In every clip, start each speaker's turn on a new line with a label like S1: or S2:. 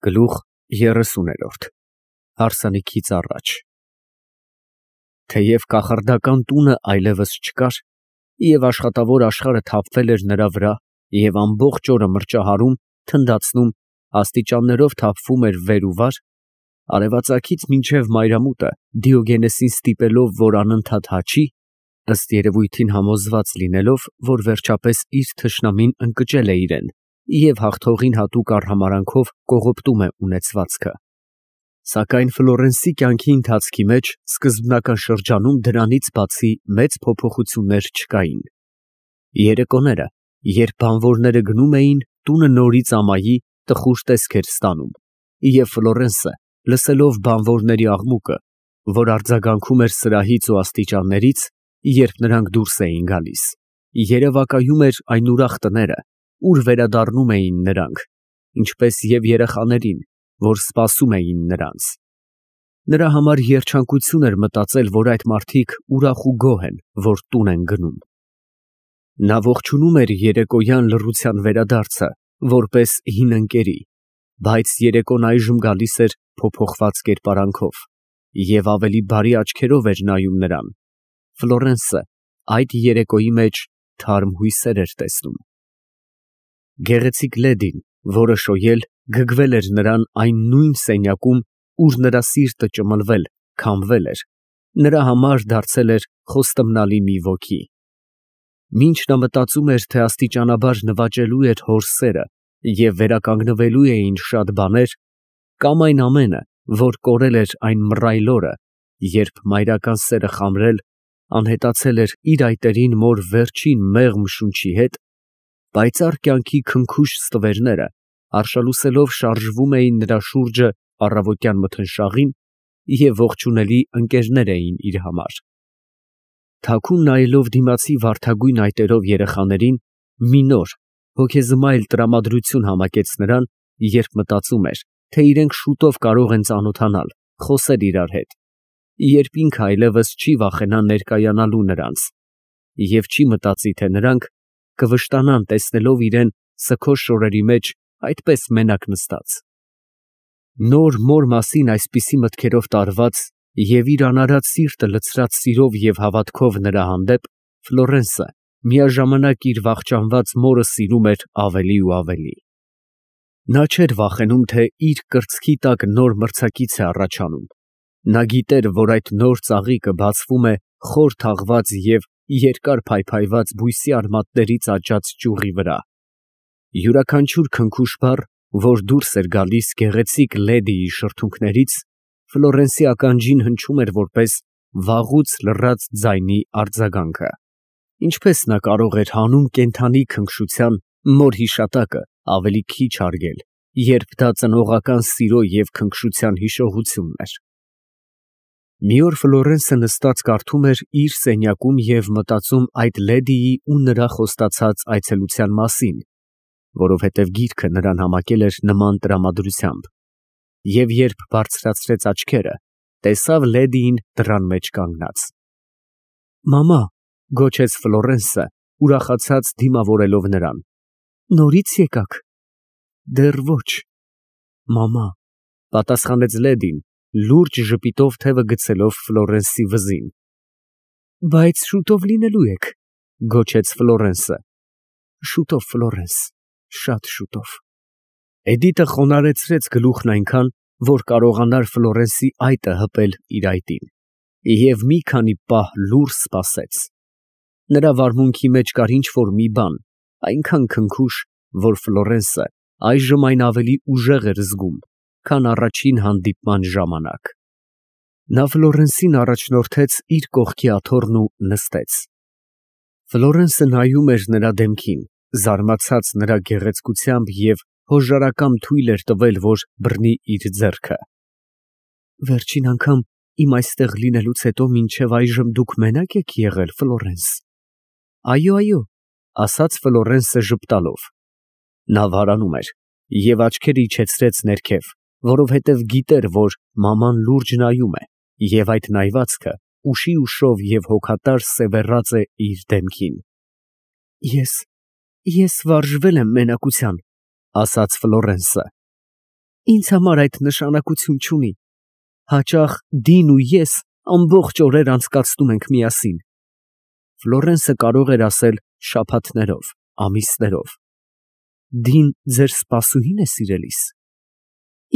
S1: Գլուխ 30 Հարսանիքից առաջ Թեև կախարդական տունը այլևս չկար, և աշխատավոր աշխարհը թափվել էր նրա վրա, և ամբողջ օրը մրճահարում, թնդացնում, աստիճաններով թափվում էր վեր ու վար, արևածագից մինչև մայրամուտը Դիոգենեսին ստիպելով, որ անընդհատ հաչի, ըստ երևույթին համոզված լինելով, որ վերջապես իր թշնամին ընկճել է իրեն և հաղթողին հատուկ արհամարհանքով կողոպտում է ունեցվածքը. Սակայն Ֆլորենսի կյանքի ընթացքի մեջ սկզբնական շրջանում դրանից բացի մեծ փոփոխություններ չկային։ Երեկոները, երբ բանվորները գնում էին, տունը նորից ամայի տխուր տեսք էր ստանում, և Ֆլորենսը, լսելով բանվորների աղմուկը, որ արձագանքում էր սրահից ու աստիճաններից, երբ նրանք դուրս էին գալիս, երևակայում էր այն ուրախ տները, ուր վերադառնում էին նրանք, ինչպես և երեխաներին, որ սպասում էին նրանց։ Նրա համար երջանկություն էր մտածել, որ այդ մարդիկ ուրախ ու գոհ են, որ տուն են գնում։ Նա ողջունում էր երեկոյան լռության վերադարձը, որպես հին ընկերի, բայց երեկոն այժմ գալիս էր փոփոխված կերպարանքով, և ավելի բարի աչքերով էր նայում նրան։ Ֆլորենսը այդ երեկոյի մեջ թարմ հույսեր էր տեսնում։ Գեղեցիկ լեդին, որը շոյել, գգվել էր նրան այն նույն սենյակում, ուր նրա սիրտը ճմլվել, քամվել էր, նրա համար դարձել էր խոստմնալի մի ոգի։ Մինչ նա մտածում էր, թե աստիճանաբար նվաճելու էր հոր սերը և վերականգնվելու էին շատ բաներ, կամ այն ամենը, որ կորել էր այն մռայլ օրը, երբ մայրական սերը խամրել, անհետացել էր իր այտերին մոր վերջին մեղմ շունչի հետ, պայծառ կյանքի քնքուշ ստվերները արշալուսելով շարժվում էին նրա շուրջը առավոտյան մթնշաղին և ողջունելի ընկերներ էին իր համար։ Թաքուն նայելով դիմացի վարդագույն այտերով երեխաներին, մի նոր, հոգեզմայլ տրամադրություն համակեց նրան, երբ մտածում էր, թե իրենք շուտով կարող են ծանոթանալ, խոսել իրար հետ, երբ ինքը այլևս չի վախենա ներկայանալու նրանց, և չի մտածի, թե նրանք կվշտանան տեսնելով իրեն սգո շորերի մեջ այդպես մենակ նստած։ Նոր մոր մասին այսպիսի մտքերով տարված և իր անարատ սիրտը լցրած սիրով և հավատքով նրա հանդեպ, Ֆլորենսը միաժամանակ իր վախճանված մորը սիրում էր ավելի ու ավելի։ Նա չէր վախենում, թե իր կրծքի տակ նոր մրցակից է առաջանում։ Նա գիտեր, որ այդ նոր ծաղիկը բացվում է խոր թաղված և երկար փայփայված բույսի արմատներից աճած ճյուղի վրա։ Յուրաքանչյուր քնքուշ բառ, որ դուրս էր գալիս գեղեցիկ լեդիի շրթունքներից, Ֆլորենսի ականջին հնչում էր որպես վաղուց լռած ձայնի արձագանքը։ Ինչպես նա կարող էր հանուն կենդանի քնքշության մոր հիշատակը ավելի քիչ հարգել, երբ դա ծնողական սիրո և քնքշության հիշողությունն էր։ Մի օր Ֆլորենսը նստած կարդում էր իր սենյակում և մտածում այդ լեդիի ու նրա խոստացած այցելության մասին, որովհետև գիրքը նրան համակել էր նման տրամադրությամբ, և երբ բարձրացրեց աչքերը, տեսավ լեդիին դռան մեջ կանգնած։ «Մամա», գոչեց Ֆլորենսը, ուրախացած դիմավորելով նրան, «նորից եկաք»։ «Դեռ ոչ, մամա», պատասխանեց լեդին, լուրջ ժպիտով թևը գցելով Ֆլորենսի վզին։ «Բայց շուտով լինելու եք», գոչեց Ֆլորենսը։ «Շուտով, Ֆլորենս, շատ շուտով»։ Էդիտը խոնարհեցրեց գլուխն այնքան, որ կարողանար Ֆլորենսի այտը հպել իր այտին, և մի քանի պահ լուռ սպասեց։ Նրա վարմունքի մեջ կար ինչ֊որ մի բան, այնքան քնքուշ, որ Ֆլորենսը այժմ այն ավելի ուժեղ էր զգում, քան առաջին հանդիպման ժամանակ։ Նա Ֆլորենսին առաջնորդեց իր կողքի աթոռն ու նստեց։ Ֆլորենսը նայում էր նրա դեմքին, զարմացած նրա գեղեցկությամբ և հոժարակամ թույլ էր տվել, որ բռնի իր ձեռքը։ «Վերջին անգամ իմ այստեղ լինելուց հետո մինչև այժմ դուք մենա՞կ եք եղել, Ֆլորենս»։ «Այո, այո», ասաց Ֆլորենսը ժպտալով։ Նա վարանում էր և աչքերը իջեցրեց ներքև, որովհետև գիտեր, որ մաման լուրջ նայում է, և այդ նայվածքը ուշի ուշով և հոգատար սևեռած է իր դեմքին։ Ես վարժվել եմ մենակության, ասաց Ֆլորենսը։ Ինձ համար այդ նշանակություն չունի։ Հաճախ Դին ու ես ամբողջ օրեր անցկացնում ենք միասին։ Ֆլորենսը կարող էր ասել շաբաթներով, ամիսներով։ Դին ձեր սպասուհի՞ն է, սիրելիս։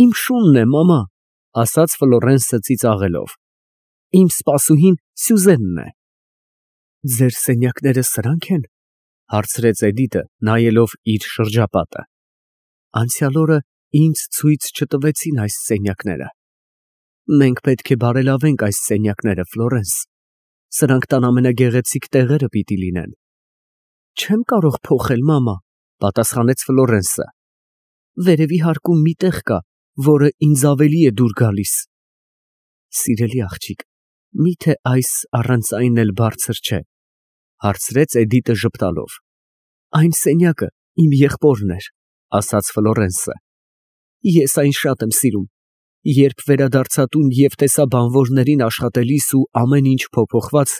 S1: Իմ շունն է, մամա, ասաց Ֆլորենսը ծիծաղելով։ Իմ սպասուհին Սյուզենն է։ Ձեր սենյակները սրանք են, հարցրեց Էդիտը, նայելով իր շրջապատը։ Անցյալ օրը ինձ ցույց չտվեցին այս սենյակները։ Մենք պետք է բարելավենք այս սենյակները, Ֆլորենս։ Սրանք տան ամենագեղեցիկ տեղերը պիտի լինեն։ Չեմ կարող փոխել, մամա, պատասխանեց Ֆլորենսը։ Վերևի հարկում մի տեղ կա, որը ինձ ավելի է դուր գալիս։ Սիրելի աղջիկ, միթե այս առանց այն էլ բարձր չէ, հարցրեց Էդիտը ժպտալով։ Այն սենյակը իմ եղբորն էր, ասաց Ֆլորենսը։ Ես այն շատ եմ սիրում։ Երբ վերադարձա տուն և տեսա բանվորներին աշխատելիս ու ամեն ինչ փոփոխված,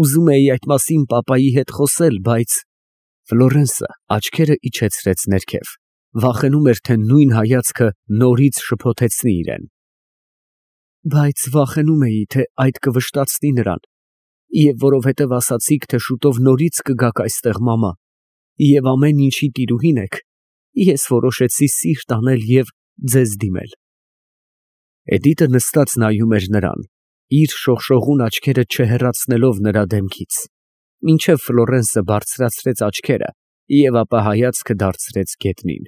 S1: ուզում էի այդ մասին պապայի հետ խոսել, բայց… Ֆլորենսը աչքերը իջեցրեց ներքև, վախենում էր, թե նույն հայացքը նորից շփոթեցնի իրեն։ Բայց վախենում էի, թե այդ կվշտացնի նրան, և որովհետև ասացիք, թե շուտով նորից կգաք այստեղ, մամա, և ամեն ինչի տիրուհին եք, ես որոշեցի սիրտ անել և ձեզ դիմել։ Էդիտը նստած նայում էր նրան, իր շողշողուն աչքերը չհեռացնելով նրա դեմքից, մինչև Ֆլորենսը բարձրացրեց աչքերը և ապա հայացքը դարձրեց գետնին։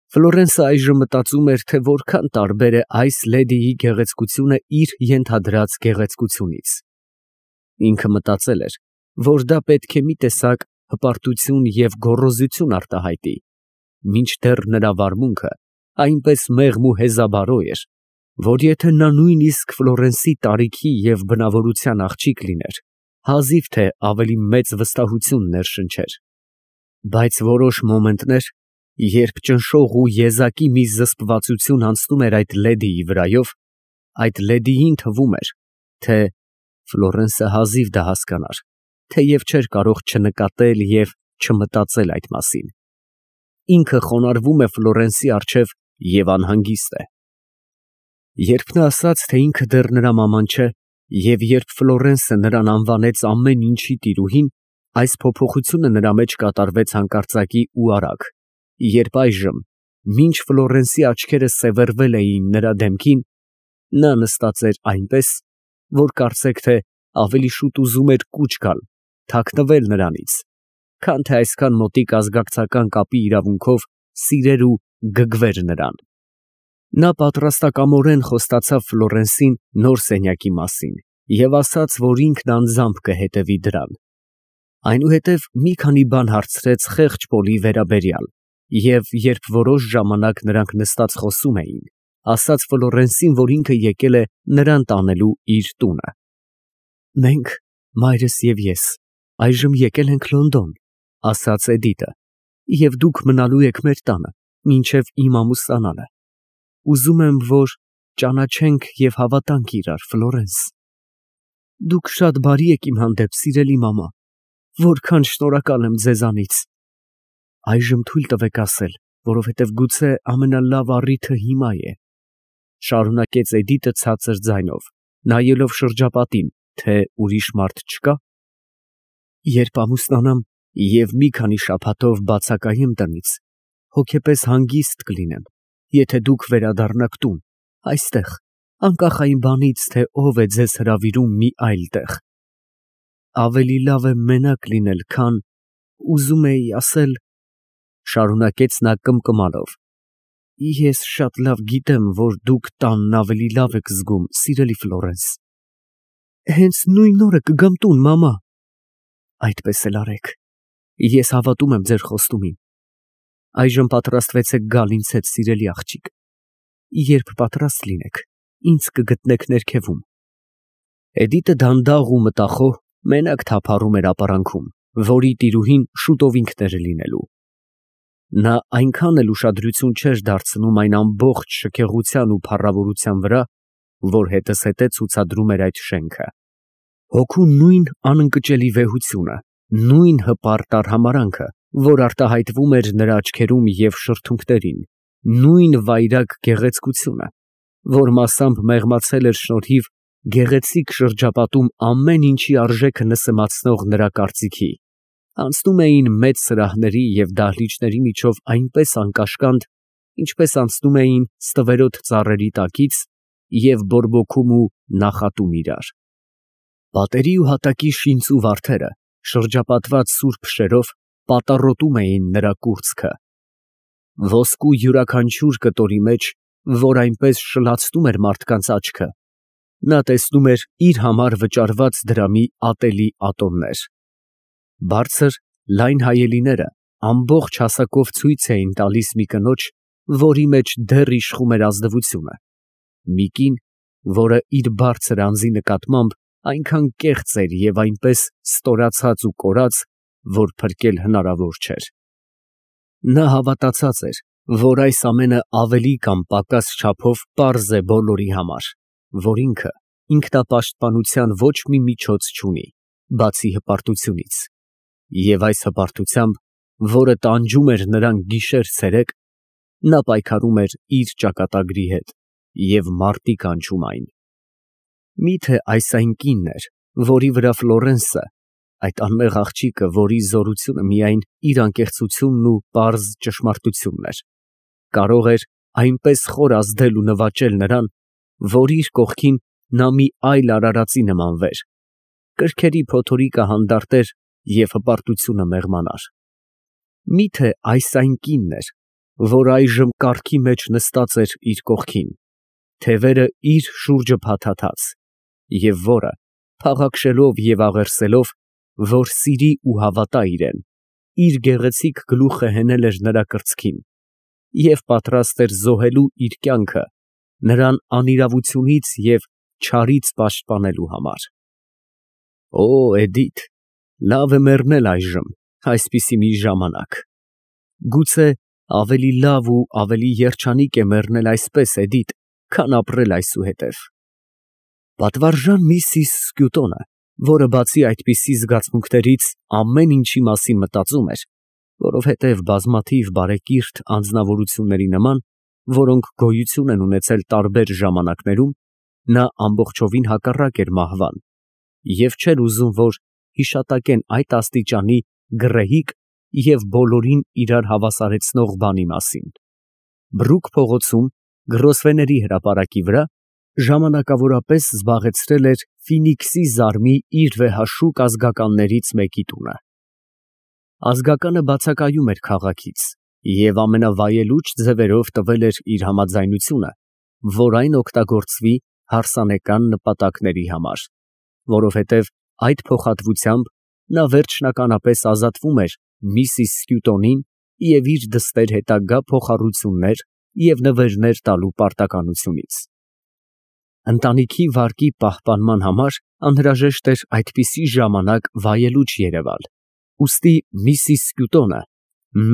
S1: Ֆլորենսը այժմ մտածում էր, թե որքան տարբեր է այս լեդիի գեղեցկությունը իր ենթադրած գեղեցկությունից։ Ինքը մտածել էր, որ դա պետք է մի տեսակ հպարտություն և գոռոզություն արտահայտի, մինչդեռ նրա վարմունքը այնպես մեղմ ու հեզաբարո էր, որ եթե նա նույնիսկ Ֆլորենսի տարիքի և բնավորության աղջիկ լիներ, հազիվ թե ավելի մեծ վստահություն ներշնչեր։ Բայց որոշ մոմենտներ, երբ ճնշող ու եզակի մի զսպվածություն անցնում էր այդ լեդիի վրայով, այդ լեդիին թվում էր, թե… Ֆլորենսը հազիվ դա հասկանար, թեև չէր կարող չնկատել և չմտածել այդ մասին։ Ինքը խոնարհվում է Ֆլորենսի առջև և անհանգիստ է։ Երբ նա ասաց, թե ինքը դեռ նրա մաման չէ, և երբ Ֆլորենսը նրան անվանեց ամեն ինչի տիրուհին, այս փոփոխությունը նրա մեջ կատարվեց հանկարծակի ու արագ, երբ այժմ, մինչ Ֆլորենսի աչքերը սևեռվել էին նրա դեմքին, նա նստած էր այնպես, որ կարծեք թե ավելի շուտ ուզում էր կուչ գալ, թաքնվել նրանից, քան թե այսքան մոտիկ ազգակցական կապի իրավունքով սիրեր ու գգվեր նրան։ Նա պատրաստակամորեն խոստացավ Ֆլորենսին նոր սենյակի մասին և ասաց, որ ինքն անձամբ կհետևի դրան։ Այնուհետև մի քանի բան հարցրեց խեղճ Պոլի վերաբերյալ և երբ որոշ ժամանակ նրանք նստած խոսում էին, ասաց Ֆլորենսին, որ ինքը եկել է նրան տանելու իր տունը։ Մենք, մայրս և ես, այժմ եկել ենք Լոնդոն, ասաց Էդիտը, և դուք մնալու եք մեր տանը, մինչև իմ ամուսնանալը։ Ուզում եմ, որ ճանաչենք և հավատանք իրար, Ֆլորենս։ Դուք շատ բարի եք իմ հանդեպ, սիրելի մամա, որքան շնորհակալ եմ ձեզանից։ Այժմ թույլ տվեք ասել, որովհետև գուցե ամենալավ առիթը հիմա է, շարունակեց Էդիտը ցածր ձայնով, նայելով շրջապատին, թե ուրիշ մարդ չկա։ Երբ ամուսնանամ և մի քանի շաբաթով բացակայեմ տնից, հոգեպես հանգիստ կլինեմ, եթե դուք վերադառնաք տուն, այստեղ, անկախ այն բանից, թե ով է ձեզ հրավիրում մի այլ տեղ։ Ավելի լավ է մենակ լինել, քան… ուզում էի ասել, շարունակեց նա կմկմալով, ես շատ լավ գիտեմ, որ դուք տանն ավելի լավ եք զգում, սիրելի Ֆլորենս։ Հենց նույն օրը կգամ տուն, մամա։ Այդպես էլ արեք։ Ես հավատում եմ ձեր խոստումին։ Այժմ պատրաստվեցեք գալ ինձ հետ, սիրելի աղջիկ։ Երբ պատրաստ լինեք, ինձ կգտնեք ներքևում։ Էդիտը դանդաղ ու մտախոհ մենակ թափառում էր ապարանքում, որի տիրուհին շուտով ինքն էր լինելու։ Նա այնքան էլ ուշադրություն չէր դարձնում այն ամբողջ շքեղության ու փառավորության վրա, որ հետզհետե ցուցադրում էր այդ շենքը։ Հոգու նույն անընկճելի վեհությունը, նույն հպարտ արհամարհանքը, որ արտահայտվում էր նրա աչքերում և շրթունքներին, նույն վայրագ գեղեցկությունը, որ մասամբ մեղմացել էր շնորհիվ գեղեցիկ շրջապատում ամեն ինչի արժեքը նսեմացնող նրա կարծիքի, անցնում էին մեծ սրահների և դահլիճների միջով այնպես անկաշկանդ, ինչպես անցնում էին ստվերոտ ծառերի տակից և բորբոքում ու նախատում իրար։ Պատերի ու հատակի շինծու վարդերը, շրջապատված սուրբ շերով, պատառոտում էին նրա կուրծքը։ Ոսկու յուրաքանչյուր կտորի մեջ, որ այնպես շլացնում էր մարդկանց աչքը, նա տեսնում էր իր համար վճարված դրամի ատելի ատոմներ։ Բարձր, լայն հայելիները ամբողջ հասակով ցույց էին տալիս մի կնոջ, որի մեջ դեռ իշխում էր ազնվությունը, մի կին, որը իր բարձր անձի նկատմամբ այնքան կեղծ էր և այնպես ստորացած ու կորած, որ փրկել հնարավոր չէր։ Նա հավատացած էր, որ այս ամենը ավելի կամ պակաս չափով պարզ է բոլորի համար, որ ինքը ինքնապաշտպանության ոչ մի միջոց չունի, բացի հպարտությունից, և այս հպարտությամբ, որը տանջում էր նրան գիշեր֊ցերեկ, նա պայքարում էր իր ճակատագրի հետ և մարտի կանչում այն։ Միթե այս այն կինն էր, որի վրա Ֆլորենսը, այդ անմեղ աղջիկը, որի զորությունը միայն իր անկեղծությունն ու պարզ ճշմարտությունն էր, կարող էր այնպես խոր ազդել ու նվաճել նրան, որ իր կողքին նա մի այլ արարածի նմանվեր, կրքերի փոթորիկը հանդարտեր և հպարտությունը մեղմանար։ Միթե այս այն կինն էր, որ այժմ կառքի մեջ նստած էր իր կողքին, թևերը իր շուրջը փաթաթած, և որը, փաղաքշելով և աղերսելով, որ սիրի ու հավատա իրեն, իր գեղեցիկ գլուխը հենել էր նրա կրծքին և պատրաստ էր զոհելու իր կյանքը նրան անիրավությունից և չարից պաշտպանելու համար։ Օ, Էդիթ, լավ է մեռնել այժմ, այսպիսի մի ժամանակ։ Գուցե ավելի լավ ու ավելի երջանիկ է մեռնել այսպես, Էդիթ, քան ապրել այսուհետև։ Պատվարժան Միսիս Սկյուտոնը, որը բացի այդպիսի զգացմունքներից ամեն ինչի մասին մտածում էր, որովհետև բազմաթիվ բարեկիրթ անձնավորությունների նման, որոնք գոյություն են ունեցել տարբեր ժամանակներում, նա ամբողջովին հակառակ էր մահվան և չէր ուզում, որ հիշատակեն այդ աստիճանի գռեհիկ և բոլորին իրար հավասարեցնող բանի մասին։ Բրուկ փողոցում Գրոսվեների հրապարակի վրա ժամանակավորապես զբաղեցրել էր Ֆինիքսի զարմի իր վեհաշուկ ազգականներից մեկի տունը։ Ազգականը բացակայում էր քաղաքից և ամենավայելուչ ձևերով տվել էր իր համաձայնությունը, որ այն օգտագործվի հարսանեկան նպատակների համար, որովհետև այդ փոխհատվությամբ նա վերջնականապես ազատվում էր Միսիս Սկյուտոնին և իր դստեր հետագա փոխառություններ և նվերներ տալու պարտականությունից։ Ընտանիքի վարկի պահպանման համար անհրաժեշտ էր այդպիսի ժամանակ վայելուչ երևալ, ուստի Միսիս Սկյուտոնը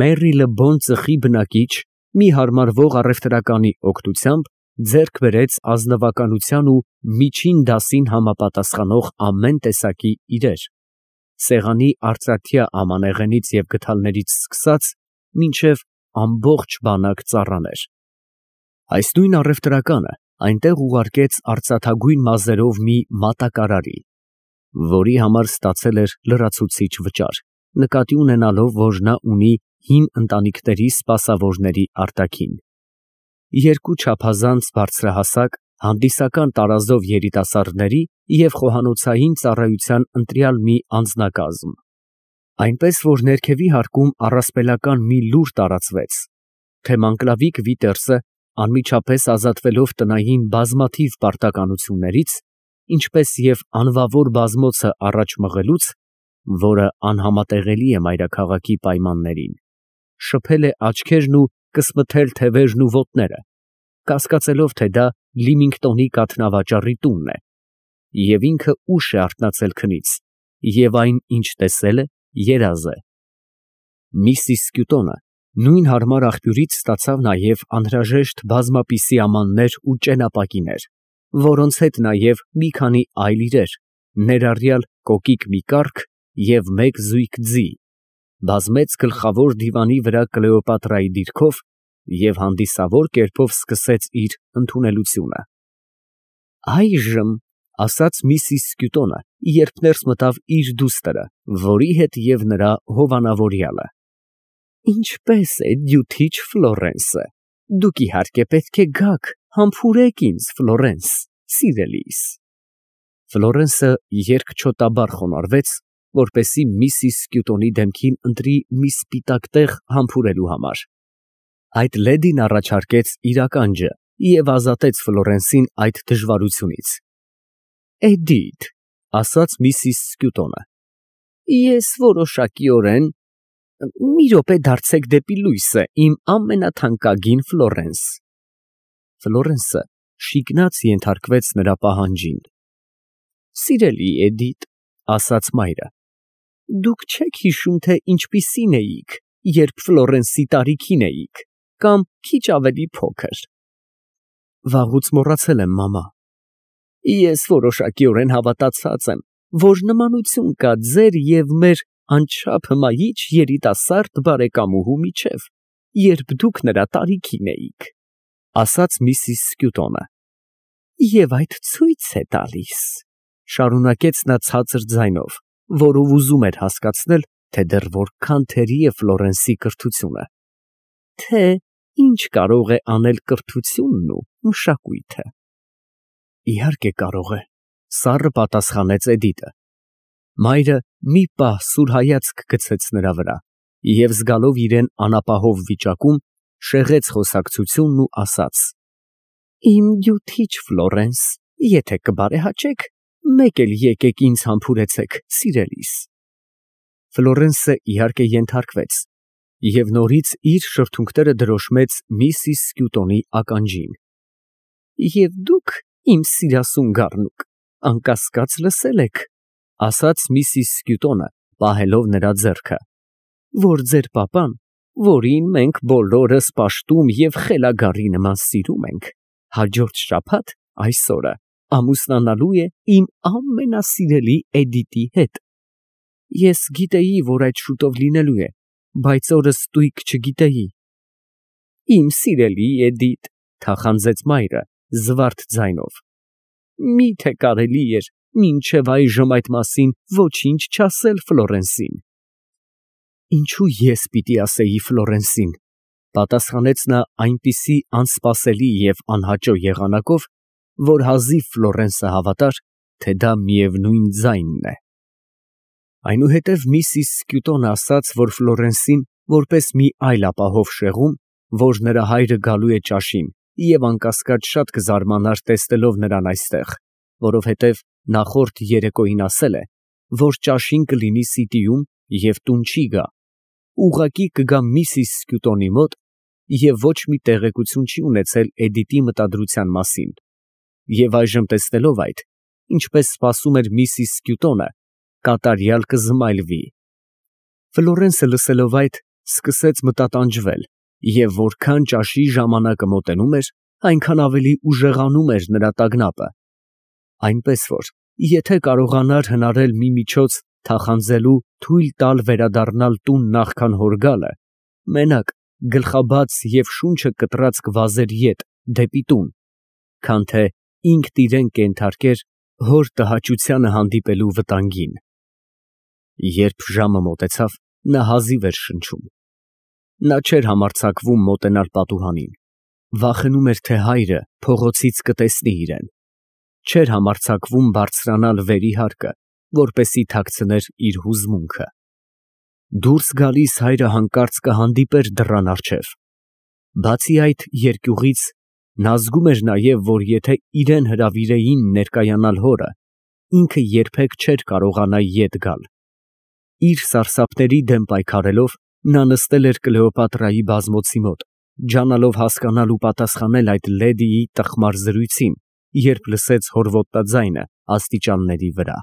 S1: Մերիլը Բոն ծխի բնակիչ մի հարմարվող առևտրականի օգնությամբ ձեռք բերեց ազնվականության ու միջին դասին համապատասխանող ամեն տեսակի իրեր, սեղանի արծաթյա ամանեղենից և գդալներից սկսած մինչև ամբողջ բանակ ծառաներ։ Այս նույն առևտրականը այնտեղ ուղարկեց արծաթագույն մազերով մի մատակարարի, որի համար ստացել էր լրացուցիչ վճար, նկատի ունենալով, որ նա ունի հին ընտանիքների սպասավորների արտաքին։ Երկու չափազանց բարձրահասակ, հանդիսական տարազով երիտասարդների և խոհանոցային ծառայության ընտրյալ մի անձնակազմ, այնպես որ ներքևի հարկում առասպելական մի լուր տարածվեց, թե Մանկլավիկ Վիտերսը անմիջապես ազատվելով տնային բազմաթիվ պարտականություններից, ինչպես և անվավոր բազմոցը առաջ մղելուց, որը անհամատեղելի է մայրաքաղաքի պայմաններին, շփել է աչքերն ու կսմթել թևերն ու ոտները, կասկածելով, թե դա Լիմինգտոնի կաթնավաճառի տունն է, և ինքը ուշ է արթնացել քնից, և այն, ինչ տեսել է, երազ է։ Միսիս Սկյուտոնը նույն հարմար աղբյուրից ստացավ նաև անհրաժեշտ բազմապիսի ամաններ ու ճենապակիներ, որոնց հետ նաև մի քանի այլ իրեր, ներառյալ կոկիկ մի կառք և մեկ զույգ ձի, բազմեց գլխավոր դիվանի վրա Կլեոպատրայի դիրքով և հանդիսավոր կերպով սկսեց իր ընդունելությունը։ Այժմ, ասաց Միսիս Սկյուտոնը, երբ ներս մտավ իր դուստրը, որի հետ և նրա հովանավորյալը, ինչպե՞ս է դյութիչ Ֆլորենսը, դուք իհարկե պետք է գաք, համբուրեք ինձ, Ֆլորենս, սիրելիս։ Ֆլորենսը երկչոտաբար խոնարհվեց, որպեսզի Միսիս Սկյուտոնի դեմքին ընտրի մի սպիտակ տեղ համբուրելու համար։ Այդ լեդին առաջարկեց իր ականջը և ազատեց Ֆլորենսին այդ դժվարությունից։ Էդիթ, ասաց Միսիս Սկյուտոնը, ես որոշակիորեն… Մի րոպե դարձեք դեպի լույսը, իմ ամենաթանկագին Ֆլորենս։ Ֆլորենսը շիկնաց ենթարկվեց նրա պահանջին։ Սիրելի Էդիթ, ասաց մայրը, դուք չեք հիշում, թե ինչպիսին էիք, երբ Ֆլորենսի տարիքին էիք, կամ քիչ ավելի փոքր։ Վաղուց մոռացել եմ, մամա։ Ես որոշակիորեն հավատացած եմ, որ նմանություն կա ձեր և մեր անչափ հմայիչ երիտասարդ բարեկամուհու միջև, երբ դուք նրա տարիքին էիք, ասաց Միսիս Սկյուտոնը։ Եվ այդ ցույց է տալիս, շարունակեց նա ցածր ձայնով, որով ուզում էր հասկացնել, թե դեռ որքան թերի է Ֆլորենսի կրթությունը, թե ինչ կարող է անել կրթությունն ու մշակույթը։ Իհարկե կարող է, սառը պատասխանեց Էդիտը։ Մայրը մի պահ սուր հայացք գցեց նրա վրա և զգալով իրեն անապահով վիճակում, շեղեց խոսակցությունն ու ասաց. Իմ դյութիչ Ֆլորենս, եթե կբարեհաճեք, մեկ էլ եկեք ինձ համբուրեցեք, սիրելիս։ Ֆլորենսը իհարկե ենթարկվեց և նորից իր շրթունքները դրոշմեց Միսիս Սկյուտոնի ականջին։ Եվ դուք, իմ սիրասուն գառնուկ, անկասկած լսել եք, ասաց Միսիս Սկյուտոնը, պահելով նրա ձեռքը, որ ձեր պապան, որին մենք բոլորս պաշտում և խելագարի նման սիրում ենք, հաջորդ շաբաթ, այս օրը, ամուսնանալու է իմ ամենասիրելի Էդիտի հետ։ Ես գիտեի, որ այդ շուտով լինելու է, բայց օրը ստույգ չգիտեի։ Իմ սիրելի Էդիտ, թախանձեց մայրը զվարթ ձայնով, միթե կարելի էր մինչև այժմ այդ մասին ոչինչ չասել Ֆլորենսին։ Ինչու ես պիտի ասեի Ֆլորենսին, պատասխանեց նա այնպիսի անսպասելի և անհաճո եղանակով, որ հազիվ Ֆլորենսը հավատար, թե դա միևնույն ձայնն է։ Այնուհետև Միսիս Սկյուտոնը ասաց, որ Ֆլորենսին, որպես մի այլ ապահով շեղում, որ նրա հայրը գալու է ճաշին, և անկասկած շատ կզարմանար տեսնելով նրան այստեղ, որովհետև նախորդ երեկոյին ասել է, որ ճաշին կլինի Սիտիում և տուն չի գա, ուղղակի կգա Միսիս Սկյուտոնի մոտ և ոչ մի տեղեկություն չի ունեցել Էդիտի մտադրության մասին, և այժմ տեսնելով այդ, ինչպես սպասում էր Միսիս Սկյուտոնը, կատարյալ կզմայլվի։ Ֆլորենսը լսելով այդ, սկսեց մտատանջվել, և որքան ճաշի ժամանակը մոտենում էր, այնքան ավելի ուժեղանում էր նրա տագնապը, այնպես որ, եթե կարողանար հնարել մի միջոց թախանձելու թույլ տալ վերադառնալ տուն նախքան հոր գալը, մենակ գլխաբաց և շունչը կտրած կվազեր ետ դեպի տուն, քան թե ինքն իրեն կենթարկեր հոր տհաճությանը հանդիպելու վտանգին։ Երբ ժամը մոտեցավ, նա հազիվ էր շնչում։ Նա չէր համարձակվում մոտենալ պատուհանին, վախենում էր, թե հայրը փողոցից կտեսնի իրեն, չէր համարձակվում բարձրանալ վերի հարկը, որպեսզի թաքցներ իր հուզմունքը։ Դուրս գալիս հայրը հանկարծ կհանդիպեր դռան առջև։ Բացի այդ երկյուղից, նա զգում էր նաև, որ եթե իրեն հրավիրեին ներկայանալ հորը, ինքը երբեք չէր կարողանա ետ գալ։ Իր սարսափների դեմ պայքարելով, նա նստել էր Կլեոպատրայի բազմոցի մոտ, ջանալով հասկանալ ու պատասխանել այդ լեդիի տխմար զրույցին, երբ լսեց հոր ոտնաձայնը աստիճանների վրա։